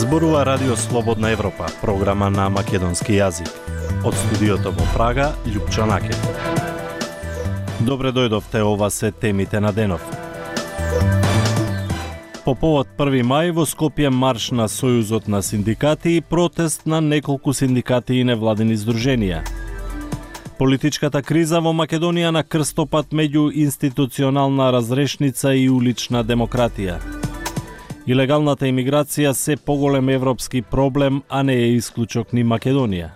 Зборува Радио Слободна Европа, програма на македонски јазик. Од студиото во Прага, Љупчо Накет. Добре дојдовте, ова се темите на денов. По повод 1 мај во Скопје марш на Сојузот на синдикати и протест на неколку синдикати и невладини здруженија. Политичката криза во Македонија на крстопат меѓу институционална разрешница и улична демократија. Илегалната имиграција се поголем европски проблем, а не е исклучок ни Македонија.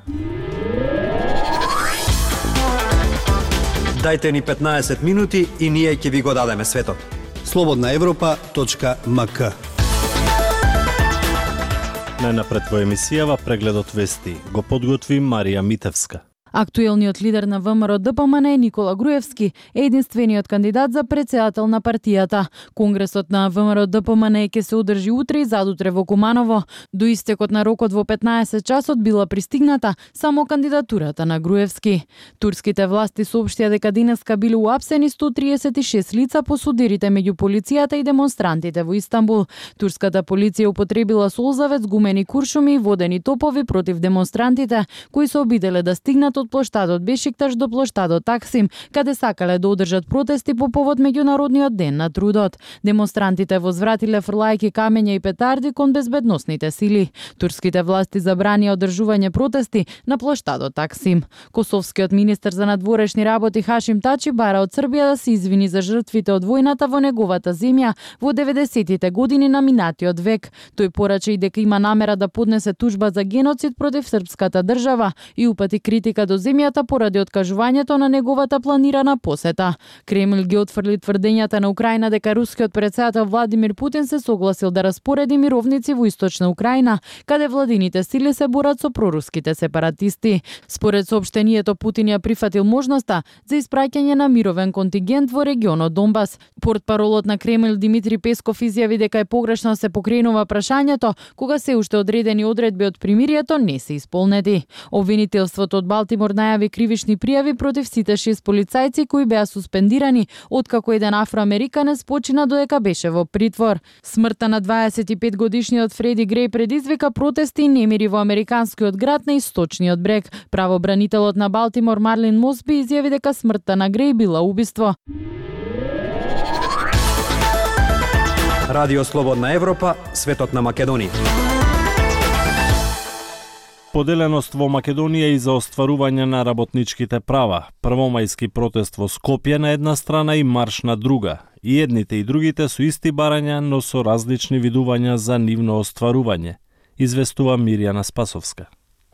Дајте ни 15 минути и ние ќе ви го дадеме светот. slobodnaevropa.mk. Најнапред во емисијава прегледот вести го подготви Марија Митевска. Актуелниот лидер на ВМРО-ДПМН Никола Груевски е единствениот кандидат за претседател на партијата. Конгресот на ВМРО-ДПМН ќе се одржи утре и задутре во Куманово. До истекот на рокот во 15 часот била пристигната само кандидатурата на Груевски. Турските власти соопштија дека денеска биле уапсени 136 лица по судирите меѓу полицијата и демонстрантите во Истанбул. Турската полиција употребила солзавец, гумени куршуми и водени топови против демонстрантите, кои се обиделе да стигнат од плоштадот Бешикташ до плоштадот Таксим, каде сакале да одржат протести по повод меѓународниот ден на трудот. Демонстрантите возвратиле фрлајки камења и петарди кон безбедносните сили. Турските власти забранија одржување протести на плоштадот Таксим. Косовскиот министер за надворешни работи Хашим Тачи бара од Србија да се извини за жртвите од војната во неговата земја во 90-тите години на минатиот век. Тој порача и дека има намера да поднесе тужба за геноцид против српската држава и упати критика до земјата поради откажувањето на неговата планирана посета. Кремљ ги отфрли тврдењата на Украина дека рускиот претседател Владимир Путин се согласил да распореди мировници во источна Украина, каде владините сили се борат со проруските сепаратисти. Според соопштението, Путин ја прифатил можноста за испраќање на мировен контингент во регионот Донбас. Портпаролот на Кремљ Димитри Песков изјави дека е погрешно се покренува прашањето кога се уште одредени одредби од примирието не се исполнети. Обвинителството од Балтимор најави кривични пријави против сите 6 полицајци кои беа суспендирани откако еден афроамериканец почина додека беше во притвор. Смртта на 25 годишниот Фреди Греј предизвика протести и немири во американскиот град на Источниот брег. Правобранителот на Балтимор Марлин Мосби изјави дека смртта на Греј била убиство. Радио Слободна Европа, светот на Македонија. Поделеност во Македонија и за остварување на работничките права. Првомајски протест во Скопје на една страна и марш на друга. И едните и другите со исти барања, но со различни видувања за нивно остварување, известува Мирјана Спасовска.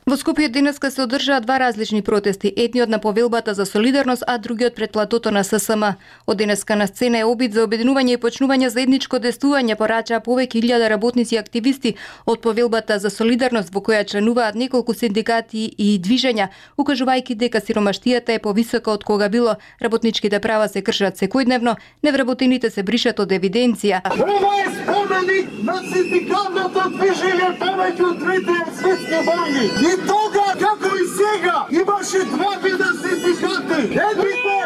Во Скопје денеска се одржаа два различни протести, едниот на повелбата за солидарност, а другиот пред платото на ССМ. Од денеска на сцена е обид за обединување и почнување заедничко действување, порачаа повеќе илјада работници и активисти од повелбата за солидарност, во која членуваат неколку синдикати и движења, укажувајќи дека сиромаштијата е повисока од кога било, работничките права се кршат секојдневно, невработените се бришат од евиденција. Ова е споменик на синдикалното движење повеќе од трите светски војни. И тога, како и сега, имаше два вида синдикати. Едните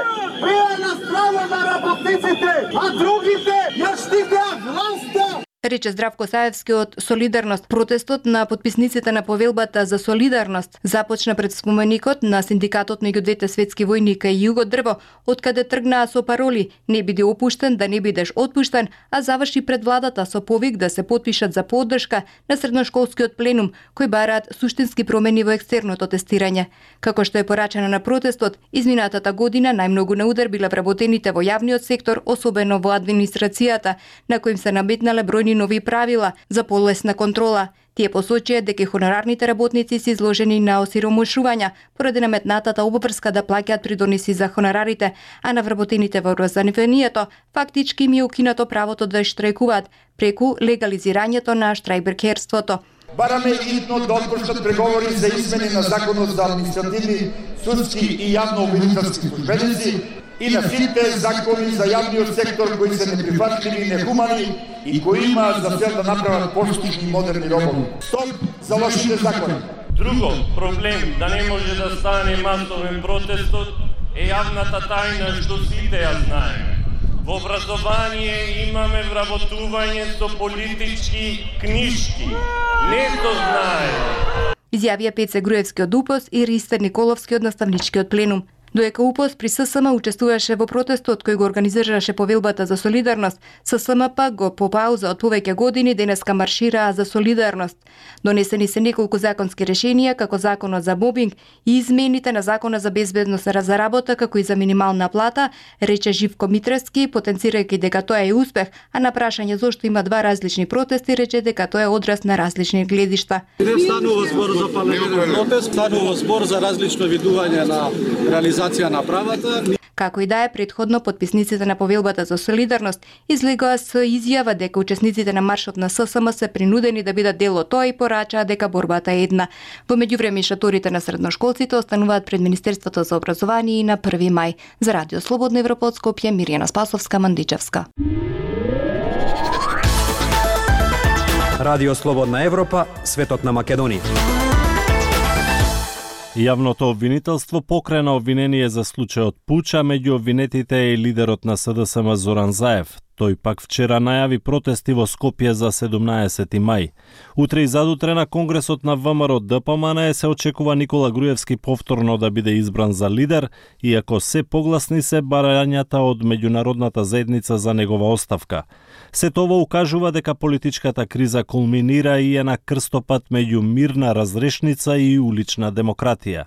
беа на страна на работниците, а другите ја штитеа власта. Рече Здравко Саевски од Солидарност. Протестот на подписниците на повелбата за солидарност започна пред споменикот на синдикатот меѓу двете светски војни кај југот дрво, откаде тргнаа со пароли "Не биде опуштен, да не бидеш отпуштен", а заврши пред владата со повик да се потпишат за поддршка на средношколскиот пленум, кој бараат суштински промени во екстерното тестирање. Како што е порачено на протестот, изминатата година најмногу на удар биле вработените во јавниот сектор, особено во администрацијата, на коим се наметнале бројни нови правила за полесна контрола. Тие посочија дека хонорарните работници се изложени на осиромашувања поради наметнатата обврска да плаќаат придоноси за хонорарите, а на вработените во образованието фактички им е укинато правото да штрајкуваат преку легализирањето на штрајберкерството. Бараме итно да отпуштат преговори за измени на законот за административни, судски и јавно-обвинителски службеници и на сите закони за јавниот сектор кои се неприфатливи и нехумани и кои имаат за цел да направат поштини и модерни робови. Стоп за лошите закони. Друго проблем да не може да стане масовен протестот е јавната тајна што сите ја знаеме. Во образование имаме вработување со политички книжки. Не то знае. Изјавија Пеце Груевски од УПОС и Ристер Николовски од наставничкиот пленум. Доека УПОС при ССМ учествуваше во протестот кој го организираше повелбата за солидарност, ССМ пак го по пауза од повеќе години денеска маршираа за солидарност. Донесени се неколку законски решенија, како законот за мобинг и измените на закона за безбедност за работа, како и за минимална плата, рече Живко Митревски, потенцирајќи дека тоа е успех, а на прашање зошто има два различни протести, рече дека тоа е одраз на различни гледишта. Не станува збор за парламентарен протест, станува збор за различно видување на реализација на правата. Како и да е, предходно подписниците на повелбата за солидарност излегоа со изјава дека учесниците на маршот на ССМ се принудени да бидат дел од тоа и порачаа дека борбата е една. Во меѓувреме шаторите на средношколците остануваат пред Министерството за образование и на 1 мај. За Радио Слободна Европа од Скопје, Мирјана Спасовска, Мандичевска. Радио Слободна Европа, светот на Македонија. Јавното обвинителство покрена обвинение за случајот пуча, меѓу обвинетите е лидерот на СДСМ Зоран Заев. Тој пак вчера најави протести во Скопје за 17 мај. Утре и задутре на Конгресот на ВМРО ДПМН се очекува Никола Груевски повторно да биде избран за лидер, иако се погласни се барањата од меѓународната заедница за негова оставка. Сето ова укажува дека политичката криза кулминира и е на крстопат меѓу мирна разрешница и улична демократија.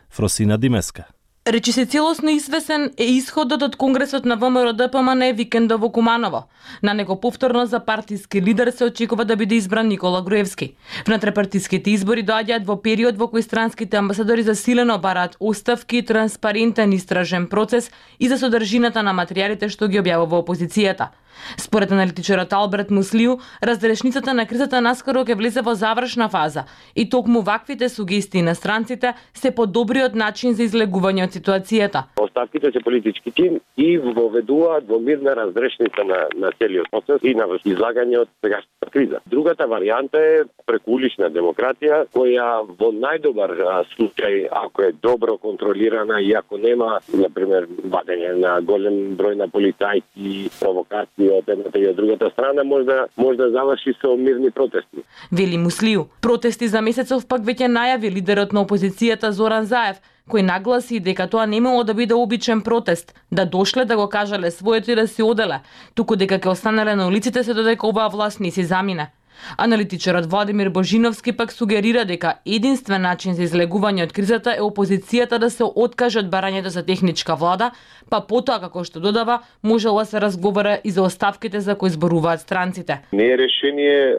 Фросина Димеска. Речи се целосно извесен е исходот од Конгресот на ВМРО ДПМН викендот во Куманово. На него повторно за партиски лидер се очекува да биде избран Никола Груевски. Внатрепартиските избори доаѓаат во период во кој странските амбасадори засилено бараат оставки, транспарентен истражен процес и за содржината на материјалите што ги објавува опозицијата. Според аналитичарот Алберт Муслиу, разрешницата на кризата наскоро ќе влезе во завршна фаза и токму ваквите сугестии на странците се подобриот начин за излегување од ситуацијата. Оставките се политички тим и воведуваат во мирна разрешница на целиот процес и на излагање од сегашната криза. Другата варијанта е преку улична демократија, која во најдобар случај, ако е добро контролирана и ако нема, например, вадење на голем број на полицајци, провокации од едната и од другата страна, може да заврши со мирни протести. Вели Муслиу, протести за месецов пак веќе најави лидерот на опозицијата Зоран Заев, кој нагласи дека тоа немало да биде обичен протест, да дошле да го кажале своето и да се оделе, туку дека ќе останале на улиците се додека оваа власт не се замине. Аналитичарот Владимир Божиновски пак сугерира дека единствен начин за излегување од кризата е опозицијата да се откаже од барањето за техничка влада, па потоа, како што додава, можело да се разговара и за оставките за кои зборуваат странците. Не е решение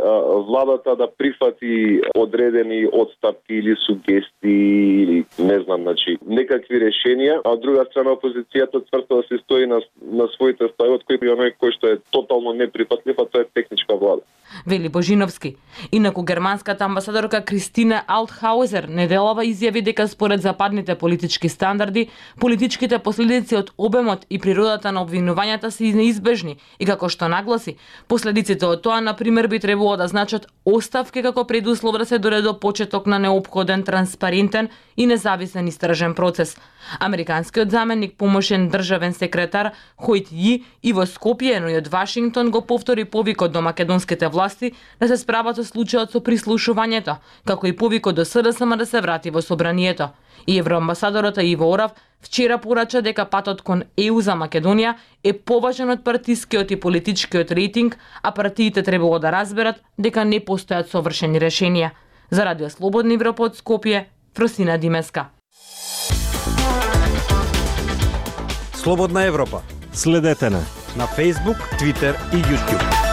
владата да прифати одредени отстапки или сугестии или не знам, значи некакви решенија, а од друга страна опозицијата цврсто да се стои на своите стави, од кој што е тотално неприфатлив, а тоа е техничка влада. Вели Божиновски. Инаку германската амбасадорка Кристина Алтхаузер неделава изјави дека според западните политички стандарди, политичките последици од обемот и природата на обвинувањата се неизбежни и како што нагласи, последиците од тоа, например, би требало да значат оставки како предуслов да се дојде до почеток на неопходен, транспарентен и независен истражен процес. Американскиот заменик помошен државен секретар Хојт Ји и во Скопје, но и од Вашингтон го повтори повикот до македонските власти да се справат со случајот со прислушувањето, како и повикот до СДСМ да се врати во собранието. И евроамбасадорот Иво Орав вчера порача дека патот кон ЕУ за Македонија е поважен од партискиот и политичкиот рейтинг, а партиите требало да разберат дека не постојат совршени решенија. За Радио Слободна Европа од Скопје, Фросина Димеска. Слободна Европа. Следете на Facebook, Twitter и YouTube.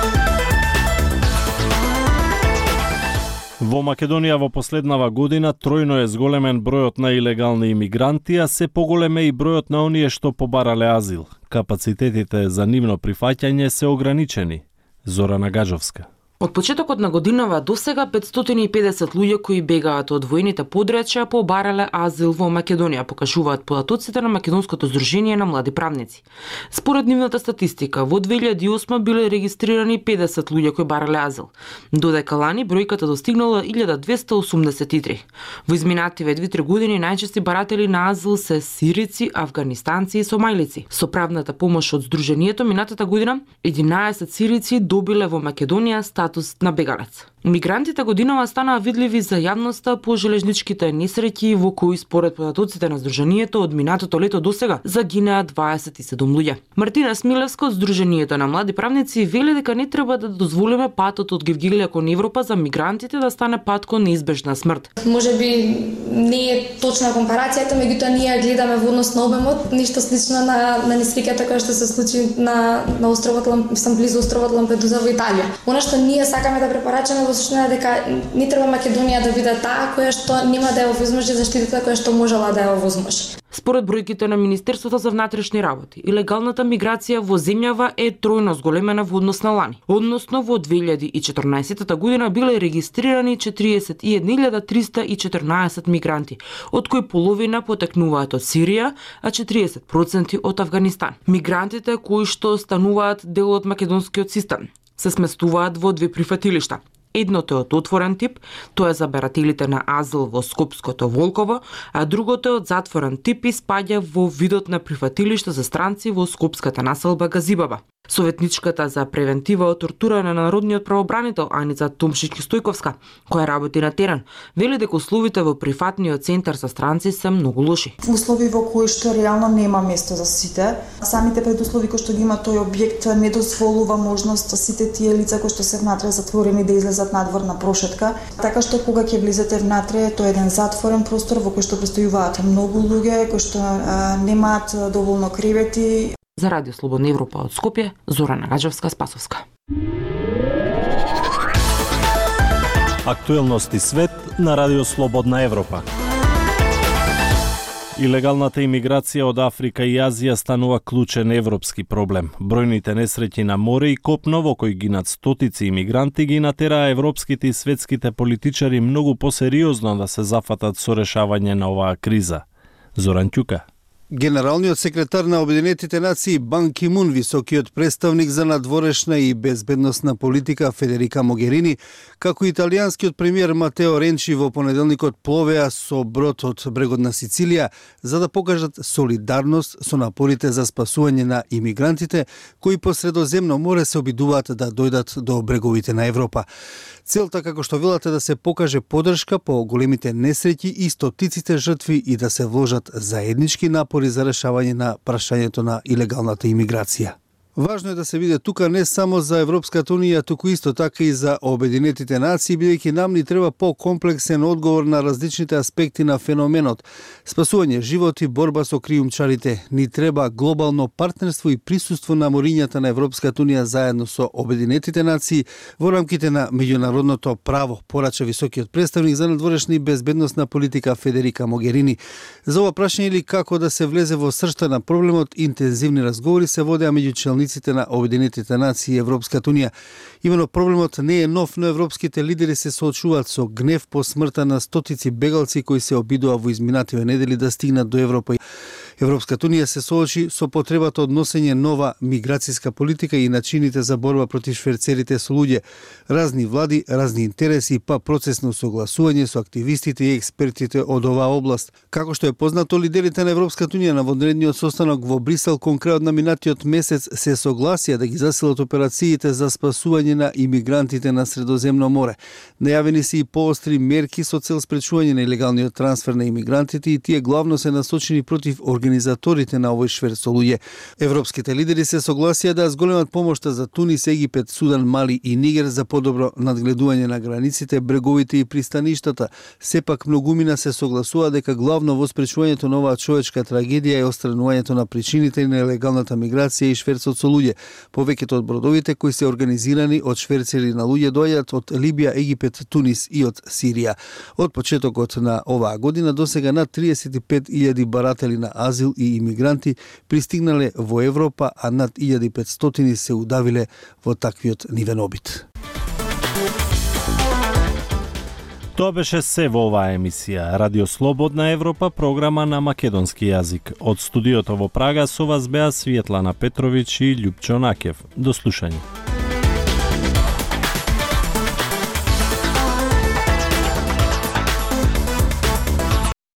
Во Македонија во последнава година тројно е зголемен бројот на илегални имигранти, а се поголем е и бројот на оние што побарале азил. Капацитетите за нивно прифаќање се ограничени. Зорана Гаджовска. Од почетокот на годинава до сега 550 луѓе кои бегаат од воените подречја побарале азил во Македонија, покажуваат податоците на Македонското здружение на млади правници. Според нивната статистика, во 2008 биле регистрирани 50 луѓе кои барале азил, додека лани бројката достигнала 1283. Во изминативе 2-3 години најчести баратели на азил се сирици, афганистанци и сомалици. Со правната помош од здружението минатата година 11 сирици добиле во Македонија статус на бегалец. Мигрантите годинава станаа видливи за јавноста по железничките несреќи во кои според податоците на здружението од минатото лето досега загинаа 27 луѓе. Мартина Смилевска од Здружението на млади правници вели дека не треба да дозволиме патот од Гевгилија кон Европа за мигрантите да стане пат кон неизбежна смрт. Можеби не е точна компарацијата, меѓутоа ние гледаме во однос на обемот, ништо слично на несреќата која што се случи на островот близу островот Лампедуза во Италија. Она што ние сакаме да препорачаме во суштина дека не треба Македонија да биде таа која што нема да ја овозможи заштитата која што можела да ја овозможи. Според бројките на Министерството за внатрешни работи, илегалната миграција во земјава е тројно зголемена во однос на лани. Односно во 2014 година биле регистрирани 41.314 мигранти, од кои половина потекнуваат од Сирија, а 40% од Авганистан. Мигрантите кои што стануваат дел од македонскиот систем се сместуваат во две прифатилишта. Едното е од отворен тип, тоа е за барателите на азил во Скопското Волково, а другото е од затворен тип и спаѓа во видот на прифатилиште за странци во скопската населба Газибаба. Советничката за превентива од тортура на народниот правобранител Аница Томшички-Стојковска, која работи на терен, вели дека условите во прифатниот центар за странци се многу лоши. Услови во кои што реално нема место за сите. Самите предуслови кои што ги има тој објект не дозволува можност сите тие лица кои што се внатре затворени да излезат надвор на прошетка. Така што кога ќе влезете внатре, тоа е еден затворен простор во кој што престојуваат многу луѓе кои што немаат доволно кревети. За Радио Слободна Европа од Скопје, Зорана Гаджевска-Спасовска. Актуелности свет на Радио Слободна Европа. Илегалната имиграција од Африка и Азија станува клучен европски проблем. Бројните несреќи на море и копно во кои гинат стотици имигранти ги натераа европските и светските политичари многу посериозно да се зафатат со решавање на оваа криза. Зоран Ќука. Генералниот секретар на Обединетите нации Бан Ки Мун, високиот представник за надворешна и безбедносна политика Федерика Могерини, како италијанскиот премиер Матео Ренчи во понеделникот пловеа со брод од брегот на Сицилија за да покажат солидарност со напорите за спасување на имигрантите кои по Средоземно море се обидуваат да дојдат до бреговите на Европа. Целта, како што велат, е да се покаже поддршка по големите несреќи и стотиците жртви и да се вложат заеднички напори за решавање на прашањето на илегалната имиграција. Важно е да се види тука не само за Европската Унија, туку исто така и за Обединетите нации, бидејќи нам ни треба по-комплексен одговор на различните аспекти на феноменот. Спасување животи, борба со криумчарите, ни треба глобално партнерство и присуство на морињата на Европската Унија заедно со Обединетите нации во рамките на меѓународното право, порача високиот представник за надворешна и безбедносна политика Федерика Могерини. За ова прашање или како да се влезе во сршта на проблемот, интензивни разговори се водеа меѓу челниците на Обединетите нации и Европската Унија. Имено проблемот не е нов, но европските лидери се соочуваат со гнев по смртта на стотици бегалци кои се обидува во изминативе недели да стигнат до Европа. Европската Унија се соочи со потребата од носење нова миграцијска политика и начините за борба против шверцерите со луѓе. Разни влади, разни интереси, па процес на согласување со активистите и експертите од оваа област. Како што е познато, лидерите на Европската Унија на вонредниот состанок во Брисел кон крајот на минатиот месец се согласија да ги засилат операциите за спасување на имигрантите на Средоземно море. Најавени се и поостри мерки со цел спречување на илегалниот трансфер на имигрантите и тие главно се насочени против организаторите на овој шверц со луѓе. Европските лидери се согласија да зголемат помошта за Тунис, Египет, Судан, Мали и Нигер за подобро надгледување на границите, бреговите и пристаништата. Сепак многумина се согласува дека главно во спречувањето на оваа човечка трагедија е отстранувањето на причините на нелегалната миграција и шверцот со луѓе. Повеќето од бродовите кои се организирани од шверцери на луѓе доаѓаат од Либија, Египет, Тунис и од Сирија. Од почетокот на оваа година досега над 35.000 баратели на азил и имигранти пристигнале во Европа, а над 1500 се удавиле во таквиот нивен обид. Тоа беше се во оваа емисија. Радио Слободна Европа, програма на македонски јазик. Од студиото во Прага со вас беа Светлана Петровиќ и Љупчо Накев. До слушање.